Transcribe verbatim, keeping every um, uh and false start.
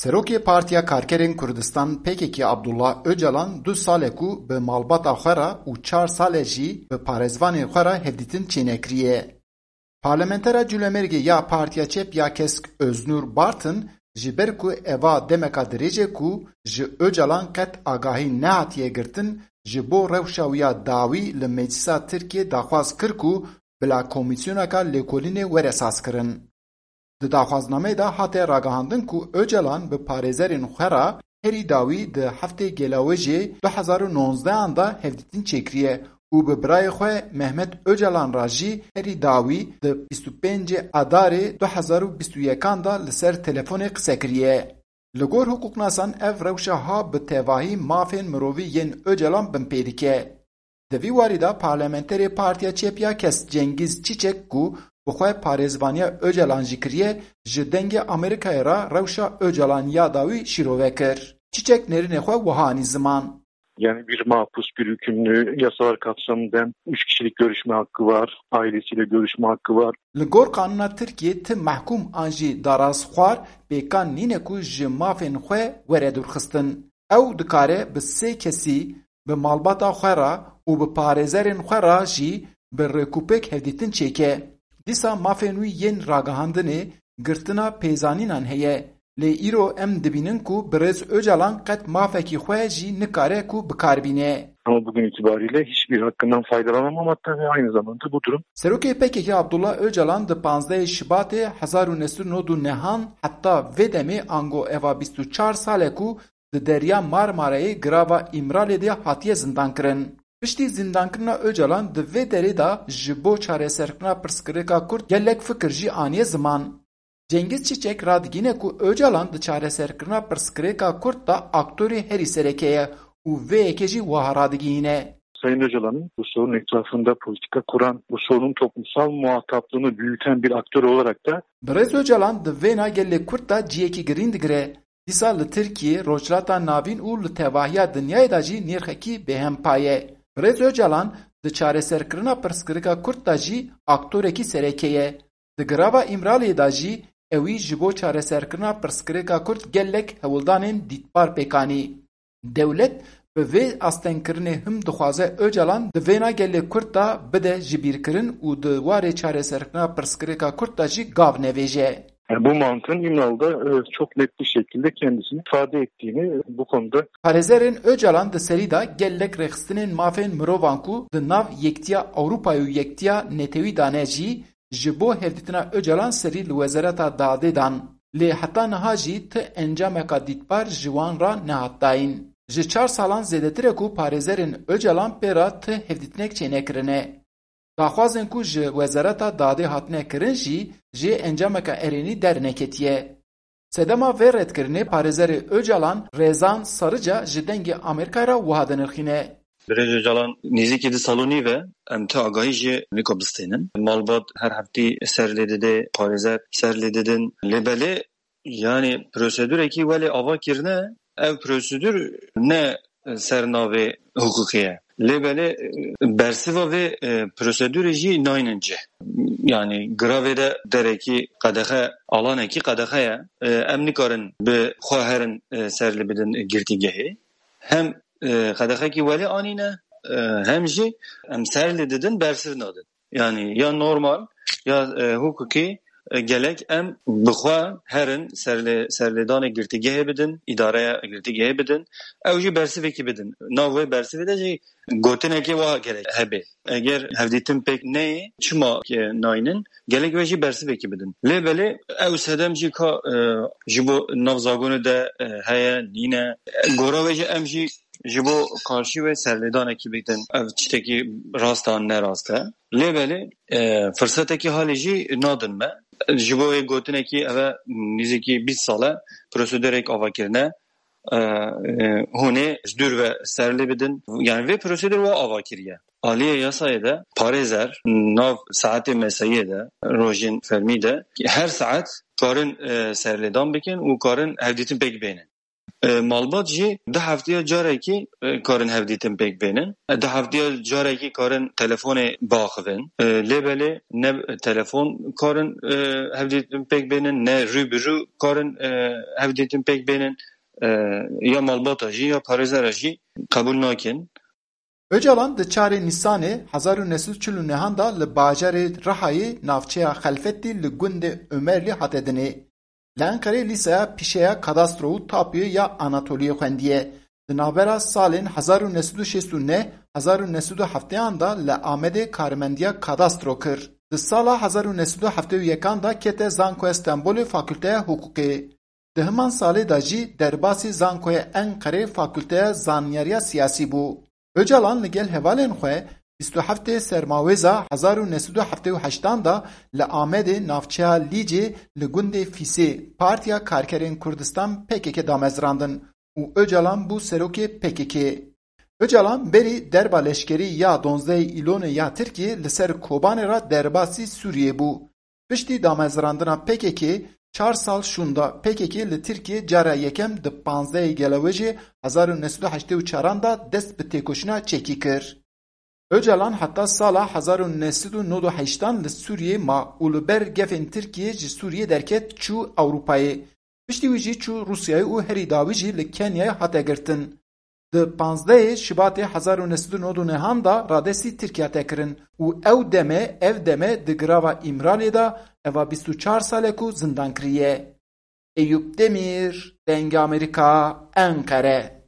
Serokê Partiya Karkerên Kurdistan P K K Abdullah Ocalan du sal e ku bi malbata xwe re û çar sal e jî bi parêzvanên xwe re hevdîtin çênekiriye. Parlamentera Cûlemêrgê ya Partiya Çep ya Kesk Öznur Bartın ji ber ku eva demeka dirêj e ku ji Ocalan qet agahî nehatiye girtin, ji bo rewşa wî ya dawî li Meclisa Tirkiyê daxwaz kir ku bila komîsyoneka lêkolînê were sazkirin. Di daxwaznameyê de hate ragihandin ku Ocalan bi parêzerên xwe re herî dawî di heftê Gelawêjê du hezar û nozdehan de hevdîtin çêkiriye û bi birayê xwe Mehmet Ocalan re jî herî dawî di bîst û pêncê Adarê du hezar û bîst û yekan de li ser telefonê qise kiriye. Li gor hiqûqnasan ev rewşa ha bi tevahî mafên mirovî yên Ocalan binpê dike. Di vî warî de parlamenterê Partiya Çep ya Kesk Cengiz Çiçek ku bi xwe parêzvaniya Ocalan jî kiriye, ji Dengê Amerîkayê re rewşa Ocalan ya dawî şîrove kir. Çiçek nêrînê xwe wiha anî ziman. Yani bir mahpus, bir hükümlü, yasalar kapsamında üç kişilik görüşme hakkı var, ailesiyle görüşme hakkı var. Li gor qanûna Tirkiyê ti mehkûm an jî darazxwar pêkan nîne ku ji mafên xwe were dûrxistin. Ew dikare bi sê kesî, bi malbata xwe re û bi parêzerên xwe re jî bi rêkûpêk hevdîtin çêke. Dîsa mafên wî yên ragihandinê, girtina pêzanînan heye. Lê îro em dibînin ku birêz Ocalan qet mafekî xwe jî nikare ku bi kar bîne. Ama bugün itibariyle hiçbir hakkından faydalanamamaktayım ve aynı zamanda bu durum Serokê P K K Abdullah Ocalan di panzdehê Şibatê hezar û neh sed û nod û nehan heta vê demê, ango eva bîst û çar sal e ku di Derya Marmarayê girava Îmralê de hatiye zindankirin. Piştî zindankirina Ocalan di vê derê de ji bo çareserkirina pirsgirêka Kurd gelek fikir jî aniye ziman. Cengiz Çiçek radigîne ku Ocalan di çareserkirina pirsgirêka Kurd de aktorê herî sereke ye û vê yekê jî wiha radigihîne. Sayın Öcalan'ın bu sorunun etrafında politika kuran, bu sorunun toplumsal muhataplığı büyüten bir aktör olarak da Birêz Ocalan di vêna gelê Kurd de ciyekî girîng digire. Dîsa li Tirkiyê, Rojhilata Navîn û li tevahiya dinyayê de jî nirxekî bêhempa ye. Birêz Ocalan di çareserkirina pirsgirêka Kurd de jî aktorekî sereke ye. Di girava Îmraliyê de jî ewî ji bo çareserkirina pirsgirêka Kurd gelek hewldanên dîtbar pêk anî. Dewlet bi vê astengkirinê him dixwaze Ocalan di vêna gelê Kurd de bide jibîrkirin û di warê çareserkirina pirsgirêka Kurd de jî gav nevêje. Yani bu mantığın İmralı'da, e, çok net bir şekilde kendisini ifade ettiğini bu konuda Parêzerên Ocalan di serî de gelek rêxistinên mafên mirovan ku di nav Yektiya Ewropa û Yektiya Netewî de ne jî, ji bo hevdîtina Ocalan serî li Wezareta Dadê dan. Lê heta niha jî ti encameka dîtbar ji wan re nehat dayîn. Ji çar salan zêdetir e ku parêzerên Ocalan pê re ti hevdîtinek çênekirine. Daxwazên ku ji Wezareta Dadê hatine kirin jî ji encameke erênî derneketiye. Sedema vê redkirinê parêzerê Ocalan Rezan Sarıca ji Dengê Amerîkayê re wiha dinirxîne. Birêz Ocalan nêzîkî di sal û nîv e, em ti agahî jê niko bistênin. Malbat her heftî ser lê dide, parêzer ser lê didin. Lê belê, yani prosedurekî welê ava kirine, ev prosedur ne ser navê hiqûqê ye. Lê belê, e, bersiva vê, e, prosedurê jî naynin cih. Yani giravê de derekî qedexe, alanekî qedexe ye. E, em nikarin bi xwe herin, e, ser lê bidin girtîgehê. Hem, e, qedexekî welê anîne, e, hem jî em ser lê didin, bersiv nadin. Yani ya normal, ya, e, hukukî, e, gelek em bi xwe herin serlê-, serlêdanê girtîgehê bidin, îdareya girtîgehê bidin. Ew jî bersivekî bidin. Nav wê bersivê de jî gotinekê wa gerek hebe. Eger hevdîtin pêk neyê, çima ke naynin, gelek wê jî bersivekî bidin. Lê belê ew sedem jî ka, e, ji bo nav zagonê de, e, heye, nîne. Gora wê jî em jî ji bo karşî wê serlêdanekî bidin. Ev tiştekî rast an nerast e. Lê belê, e, firsetekî halê jî nadin me. Ji bo wê gotinekî ev e nîzikî bîst sal e prosedurek ava kirine. E, e, hûn ê ji dûr ve ser lê bidin. Yani vê prosedur wa ava kiriye. Aliyê yasayê de parêzer nav saetê mesaiyê de, rojên fermî de her saet karin, e, serlêdan bikin û karin hevdîtin pêk bênin. E, malbat jî du heftiya carekî, e, karin hevdîtin pêk bênin. E, du heftiya carekî karin telefonê biaxivin. E, lê belê ne telefon karin, e, hevdîtin pêk bênin, ne rû bi rû karin, e, hevdîtin pêk bênin. E, ya malbata jî ya parêzera jî qebûl nakin. Ocalan di çarê Nîsanê hezar û neh sed û çil û nehan de li bajarê Rihayê navçeya Xelfetî li gundê Omerlî hate dinê. Li Enqerê lîseya pîşeya kadastro û tapûyê ya Anatoliyê xwendiye. Di navbera salên hezar û neh sed û şêst û neh, hezar û neh sed û hefteyan de li Amedê karimendiya kadastro kir. Di sala hezar û neh sed û heftê û yekan de kete Zankoya Stenbolê Fakulteya Hiqûqê. Di himan salê de jî derbasî Zankoya Enqerê Fakulteya Zanyariya Siyasî bû. Ocalan li gel hevalên xwe bîst û heftê Sermawêza hezar û neh sed û heftê û heştan de li Amedê navçeya Lîcê li gundê Fîsê Partiya Karkerên Kurdistan P K K damezrandin û Ocalan bû serokê P K K. Ocalan berî derba leşkerî ya donzdehê Îlonê ya Tirkiyê li ser Kobanê re derbasî Sûriyê bû. Piştî damezrandina P K K çar sal şûnda P K K li Tirkiyê cara yekem di panzdehê Gelewêjê hezar û neh sed û heştê û çaran de dest bi têkoşîna çekî kir. Ocalan heta sala hezar û neh sed û nod û heştan li Sûriyê ma û li ber gefên Tirkiyê ji Sûriyê derket çû Ewropayê. Piştî wî jî çû Rûsyayê û herî dawî jî li Kenyayê hate girtin. Di panzdehê Şibatê hezar û neh sed û nod û nehan de radestî Tirkiye hate kirin û ew deme, ev deme di girava Îmraliyê de eva bîst û çar salek û zindan kiriye. Eyûp Demîr, Dengê Amerîka, Enqere.